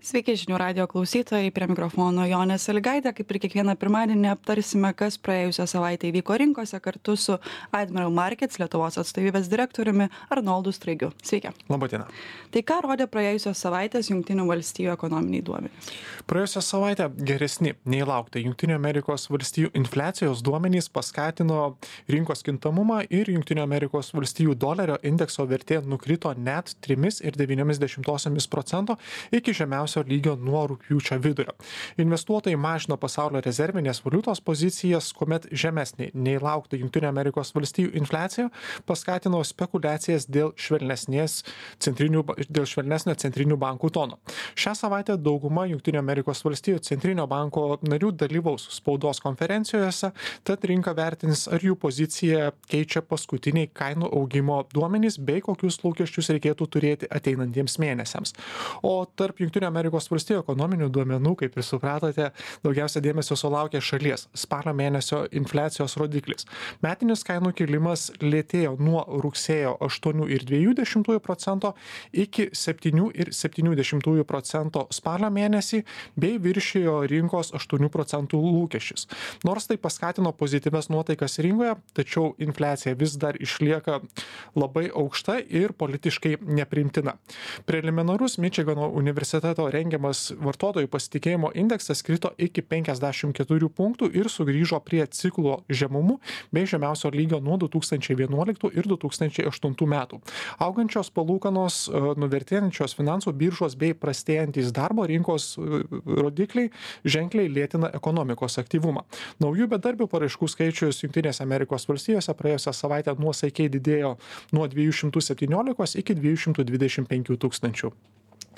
Sveiki žinių radio klausytojai, prie mikrofono Jonė Sąlygaitė. Kaip ir kiekvieną pirmadienį aptarsime, kas praėjusią savaitę įvyko rinkose kartu su Admiral Markets Lietuvos atstovybės direktoriumi Arnoldu Straigiu. Sveiki. Labadiena. Tai ką rodė praėjusios savaitės Jungtinių valstijų ekonominiai duomenys? Praėjusią savaitę geresni nei laukta Jungtinių Amerikos valstijų infliacijos duomenys paskatino rinkos kintamumą ir Jungtinių Amerikos valstijų dolerio indekso vertė nukrito net 3,9% iki žemiausio lygio nuo rugpjūčio vidurio. Investuotojai mažino pasaulio rezervinės valiutos pozicijas, kuomet žemesnė nei laukta Jungtinių Amerikos valstijų infliacija paskatino spekulacijas dėl švelnesnio centrinių bankų tono. Šią savaitę dauguma Jungtinių Amerikos valstijų centrinio banko narių dalyvaus spaudos konferencijose, tad rinka vertins, ar jų poziciją keičia paskutiniai kainų augimo duomenys bei kokius lūkesčius reikėtų turėti ateinantiems mėnesiams. O tarp Jungtinių Amerikos valstijų ekonominių duomenų, kaip ir supratote, daugiausia dėmesio sulaukė šalies spalio mėnesio infliacijos rodiklis. Metinis kainų kilimas lėtėjo nuo rugsėjo 8,2% iki 7,7% spalio mėnesį bei viršijo rinkos 8% lūkesčius. Nors tai paskatino pozityvias nuotaikas rinkoje, tačiau infliacija vis dar išlieka labai aukšta ir politiškai nepriimtina. Preliminarus Mičigano universiteto rengiamas vartotojų pasitikėjimo indeksas krito iki 54 punktų ir sugrįžo prie ciklo žemumų bei žemiausio lygio nuo 2011 ir 2008 metų. Augančios palūkanos, nuvertėjančios finansų biržos bei prastėjantis darbo rinkos rodikliai ženkliai lėtina ekonomikos aktyvumą. Naujų bedarbių paraiškų skaičius Jungtinėse Amerikos valstijose praėjusią savaitę nuosaikiai didėjo nuo 217 iki 225 tūkstančių.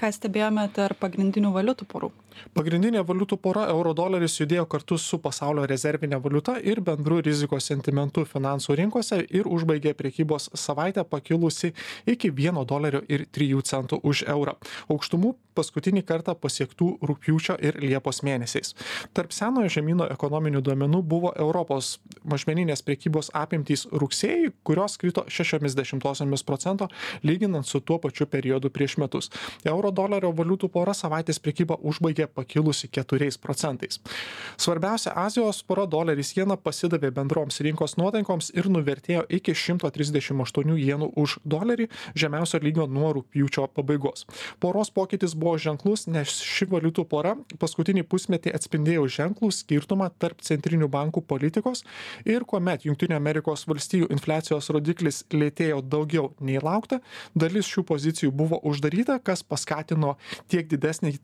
Ką stebėjome tarp pagrindinių valiutų porų? Pagrindinė valiutų pora euro-doleris judėjo kartu su pasaulio rezervinė valiuta ir bendru rizikos sentimentu finansų rinkose ir užbaigė prekybos savaitę pakilusi iki $1.03 už eurą. Aukštumų paskutinį kartą pasiektų rugpjūčio ir liepos mėnesiais. Tarp senojo žemyno ekonominių duomenų buvo Europos mažmeninės prekybos apimtys rugsėjį, kurios krito 0,6% lyginant su tuo pačiu periodu prieš metus. Euro-dolerio valiutų pora savaitės prekybą užbaigė pakilusi 4%. Svarbiausia Azijos pora doleris jena pasidavė bendroms rinkos nuotaikoms ir nuvertėjo iki 138 jenų už dolerį, žemiausio lygio nuo rugpjūčio pabaigos. Poros pokytis buvo ženklus, nes ši valiutų pora paskutinį pusmetį atspindėjo ženklų skirtumą tarp centrinių bankų politikos ir kuomet Jungtinių Amerikos valstijų infliacijos rodiklis lėtėjo daugiau nei laukta, dalis šių pozicijų buvo uždaryta, kas paskatino tiek didesnį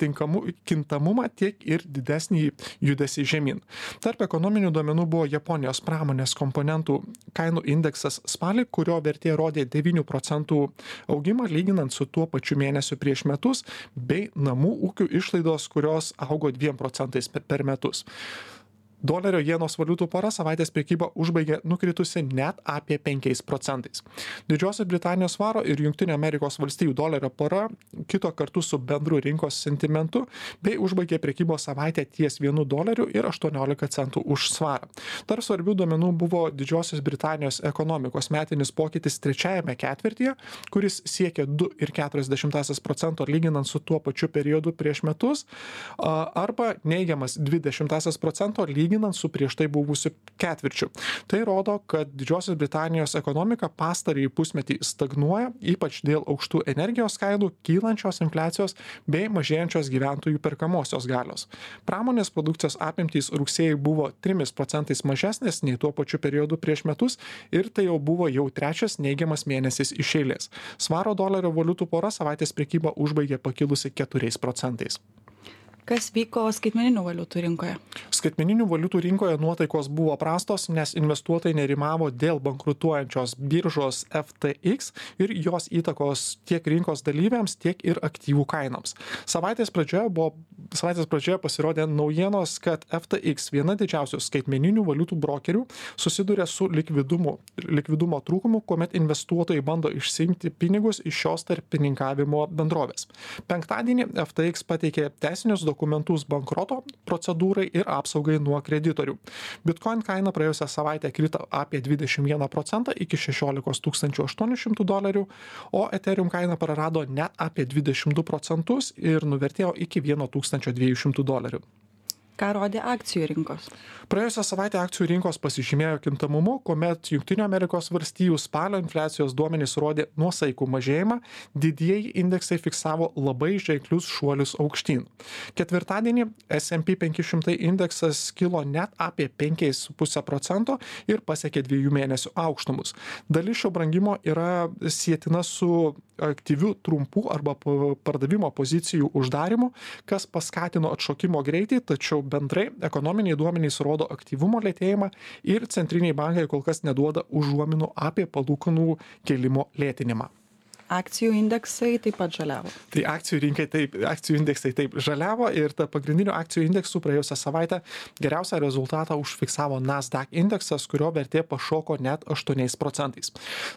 kintamumą, tiek ir didesnį judesį žemyn. Tarp ekonominių duomenų buvo Japonijos pramonės komponentų kainų indeksas spalį, kurio vertė rodė 9% augimą lyginant su tuo pačiu mėnesiu prieš metus, bei namų ūkių išlaidos, kurios augo 2% per metus. Dolerio jenos valiutų pora savaitės prekybą užbaigė nukritusi net apie 5%. Didžiosios Britanijos svaro ir Jungtinių Amerikos valstijų dolerio pora kito kartu su bendru rinkos sentimentu bei užbaigė prekybos savaitę ties $1.18 už svarą. Tarp svarbių duomenų buvo Didžiosios Britanijos ekonomikos metinis pokytis trečiajame ketvirtyje, kuris siekė 2,4% lyginant su tuo pačiu periodu prieš metus, arba neigiamas 0,2% lyginant su prieš tai buvusiu ketvirčiu. Tai rodo, kad Didžiosios Britanijos ekonomika pastarąjį pusmetį stagnuoja, ypač dėl aukštų energijos kainų, kylančios infliacijos bei mažėjančios gyventojų perkamosios galios. Pramonės produkcijos apimtys rugsėjai buvo 3% mažesnės nei tuo pačiu periodu prieš metus ir tai jau buvo trečias neigiamas mėnesis iš eilės. Svaro dolerio valiutų pora savaitės prekybą užbaigė pakilusi 4%. Kas vyko skaitmeninių valiutų rinkoje? Skaitmeninių valiutų rinkoje nuotaikos buvo prastos, nes investuotojai nerimavo dėl bankrutuojančios biržos FTX ir jos įtakos tiek rinkos dalyviams, tiek ir aktyvų kainoms. Savaitės pradžioje pasirodė naujienos, kad FTX, viena didžiausių skaitmeninių valiutų brokerių, susiduria su likvidumo trūkumu, kuomet investuotojai bando išsiimti pinigus iš šios tarpininkavimo bendrovės. Penktadienį FTX pateikė teisinius dokumentus dokumentus bankroto procedūrai ir apsaugai nuo kreditorių. Bitcoin kaina praėjusią savaitę krito apie 21% iki $16 800, o Ethereum kaina prarado net apie 22% ir nuvertėjo iki $1200. Ką rodė akcijų rinkos? Praėjusią savaitę akcijų rinkos pasižymėjo kintamumu, kuomet Jungtinių Amerikos valstijų spalio infliacijos duomenys rodė nuosaikų mažėjimą, didieji indeksai fiksavo labai ženklius šuolius aukštyn. Ketvirtadienį S&P 500 indeksas kilo net apie 5,5% ir pasiekė 2 mėnesių aukštumus. Dalis šio brangimo yra sietina su aktyvių trumpų arba pardavimo pozicijų uždarimu, kas paskatino atšokimo greitį, tačiau bendrai ekonominiai duomenys rodo aktyvumo lėtėjimą ir centriniai bankai kol kas neduoda užuominų apie palūkanų kėlimo lėtinimą. Akcijų indeksai taip pat žaliavo. Tai akcijų indeksai taip žaliavo ir ta pagrindinių akcijų indeksų praėjusią savaitę geriausią rezultatą užfiksavo Nasdaq indeksas, kurio vertė pašoko net 8%.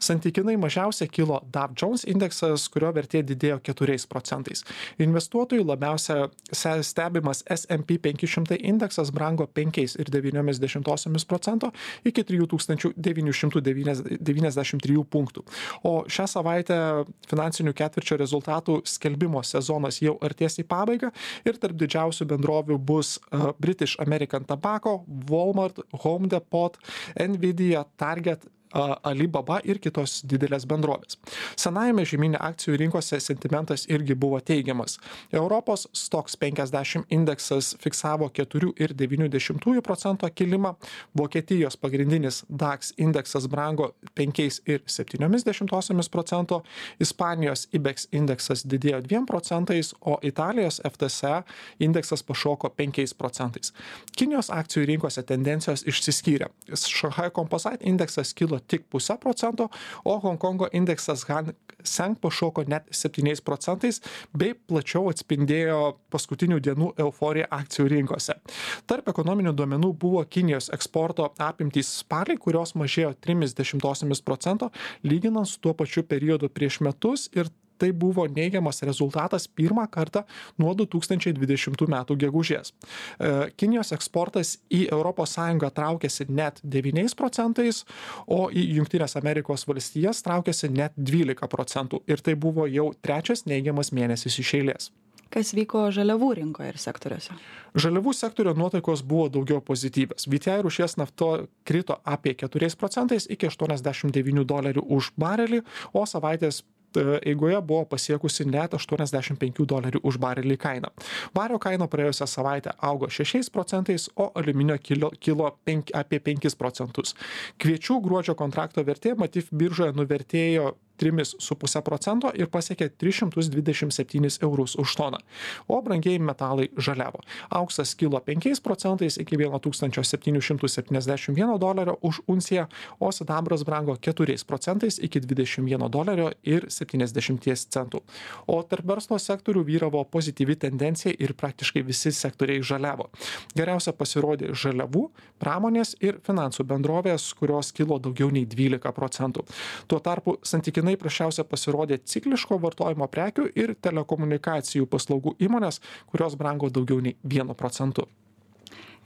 Santykinai mažiausiai kilo Dow Jones indeksas, kurio vertė didėjo 4%. Investuotojų labiausia stebimas S&P 500 indeksas brango 5,9% iki 3993 punktų. O šią savaitę finansinių ketvirčio rezultatų skelbimo sezonas jau artės į pabaigą ir tarp didžiausių bendrovių bus British American Tobacco, Walmart, Home Depot, Nvidia, Target, Alibaba ir kitos didelės bendrovės. Senajame žemyne akcijų rinkose sentimentas irgi buvo teigiamas. Europos Stoxx 50 indeksas fiksavo 4,9% kilimą, Vokietijos pagrindinis DAX indeksas brango 5,7%, Ispanijos IBEX indeksas didėjo 2%, o Italijos FTSE indeksas pašoko 5%. Kinijos akcijų rinkose tendencijos išsiskyrė. Shanghai Composite indeksas kilo tik 0,5%, o Honkongo indeksas Hang Seng pašoko net 7% bei plačiau atspindėjo paskutinių dienų euforiją akcijų rinkose. Tarp ekonominių duomenų buvo Kinijos eksporto apimtys spalį, kurios mažėjo 0,3%, lyginant su tuo pačiu periodu prieš metus ir tai buvo neigiamas rezultatas pirmą kartą nuo 2020 metų gegužės. Kinijos eksportas į ES traukėsi net 9%, o į Jungtines Amerikos valstijas traukėsi net 12%. Ir tai buvo jau trečias neigiamas mėnesis iš eilės. Kas vyko žaliavų rinkoje ir sektoriuose? Žaliavų sektorio nuotaikos buvo daugiau pozityvios. VTI rūšies nafta krito apie 4% iki $89 už barelį, o savaitės eigoje buvo pasiekusi net $85 už barelį kainą. Vario kaina praėjusią savaitę augo 6%, o aliuminio kilo apie 5%. Kviečių gruodžio kontrakto vertė Matif biržoje nuvertėjo 3,5% ir pasiekė 327 eurus už toną, o brangieji metalai žaliavo. Auksas kilo 5% iki $1771 už unciją, o sidabras brango 4% iki $21,70. O tarp verslo sektorių vyravo pozityvi tendencija ir praktiškai visi sektoriai žaliavo. Geriausia pasirodė žaliavų, pramonės ir finansų bendrovės, kurios kilo daugiau nei 12%. Tuo tarpu santykinai prasčiausia pasirodė cikliško vartojimo prekių ir telekomunikacijų paslaugų įmonės, kurios brango daugiau nei 1%.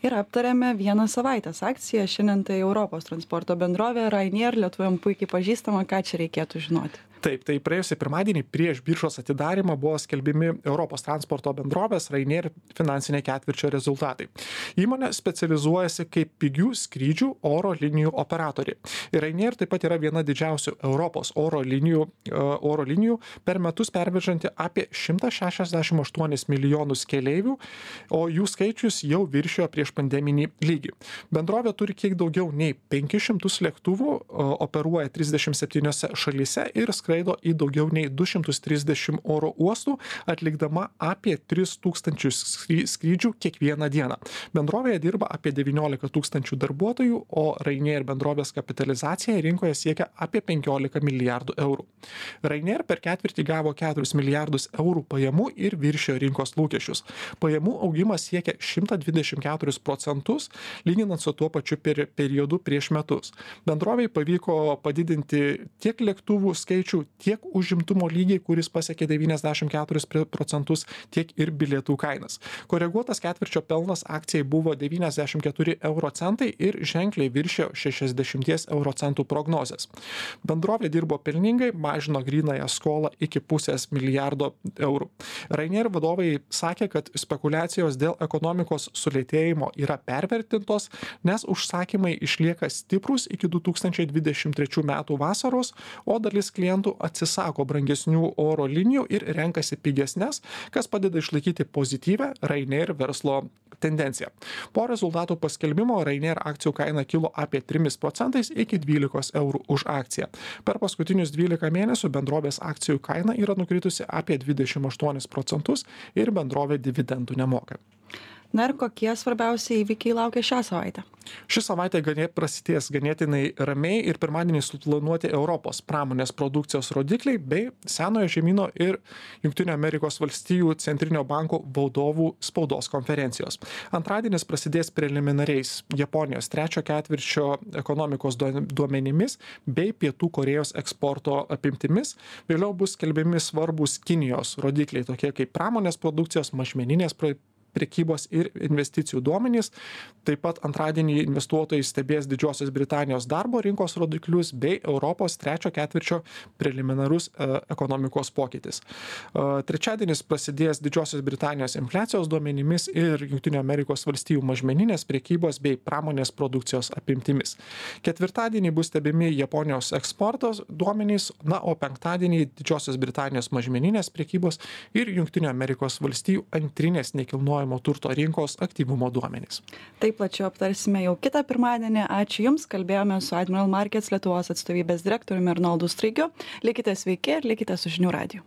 Ir aptarėme vieną savaitės akciją. Šiandien tai Europos transporto bendrovė Ryanair, lietuviam puikiai pažįstama, ką čia reikėtų žinoti. Taip, tai praėjusį pirmadienį prieš biržos atidarymą buvo skelbimi Europos transporto bendrovės Ryanair finansiniai ketvirčio rezultatai. Įmonė specializuojasi kaip pigių skrydžių oro linijų operatoriai. Ir Ryanair taip pat yra viena didžiausių Europos oro linijų per metus pervežanti apie 168 milijonus keleivių, o jų skaičius jau viršijo prieš pandeminį lygį. Bendrovė turi kiek daugiau nei 500 lėktuvų, operuoja 37 šalyse ir skraido į daugiau nei 230 oro uostų, atlikdama apie 3000 skrydžių kiekvieną dieną. Bendrovėje dirba apie 19 000 darbuotojų, o Ryanair bendrovės kapitalizacija rinkoje siekia apie 15 milijardų eurų. Ryanair per ketvirtį gavo 4 milijardus eurų pajamų ir viršijo rinkos lūkesčius. Pajamų augimas siekia 124%, lyginant su tuo pačiu periodu prieš metus. Bendrovei pavyko padidinti tiek lėktuvų skaičių, tiek užimtumo lygį, kuris pasiekė 94%, tiek ir bilietų kainas. Koreguotas ketvirčio pelnas akcijai buvo 94 euro centai ir ženkliai viršė 60 euro centų prognozes. Bendrovė dirbo pelningai, mažino grynąją skolą iki pusės milijardo eurų. Ryanair vadovai sakė, kad spekulacijos dėl ekonomikos sulėtėjimo yra pervertintos, nes užsakymai išlieka stiprus iki 2023 metų vasaros, o dalis klientų atsisako brangesnių oro linijų ir renkasi pigesnes, kas padeda išlaikyti pozityvę Ryanair verslo tendenciją. Po rezultatų paskelbimo Ryanair akcijų kaina kilo apie 3% iki 12 eurų už akciją. Per paskutinius 12 mėnesių bendrovės akcijų kaina yra nukritusi apie 28% ir bendrovė dividendų nemoka. Na ir kokie svarbiausi įvykiai laukia šią savaitę? Ši savaitė prasidės ganėtinai ramiai ir pirmadienį suplanuoti Europos pramonės produkcijos rodikliai bei Senojo žemyno ir Jungtinių Amerikos valstijų centrinio banko vadovų spaudos konferencijos. Antradienis prasidės preliminariais Japonijos trečio ketvirčio ekonomikos duomenimis bei Pietų Korėjos eksporto apimtimis. Vėliau bus skelbiami svarbus Kinijos rodikliai, tokie kaip pramonės produkcijos, mažmeninės prekybos ir investicijų duomenys. Taip pat antradienį investuotojai stebės Didžiosios Britanijos darbo rinkos rodiklius bei Europos trečio ketvirčio preliminarus ekonomikos pokytis. Trečiadienis prasidės Didžiosios Britanijos infliacijos duomenimis ir Jungtinių Amerikos valstijų mažmeninės prekybos bei pramonės produkcijos apimtimis. Ketvirtadienį bus stebimi Japonijos eksportos duomenys, o penktadienį Didžiosios Britanijos mažmeninės prekybos ir Jungtinių Amerikos valstijų antrinės nekilnojamo turto rinkos aktyvumo duomenys. Taip plačiau aptarsime jau kitą pirmadienį. Ačiū Jums, kalbėjome su Admiral Markets Lietuvos atstovybės direktoriumi Arnoldu Straigiu. Likite sveiki ir likite su žinių radiju.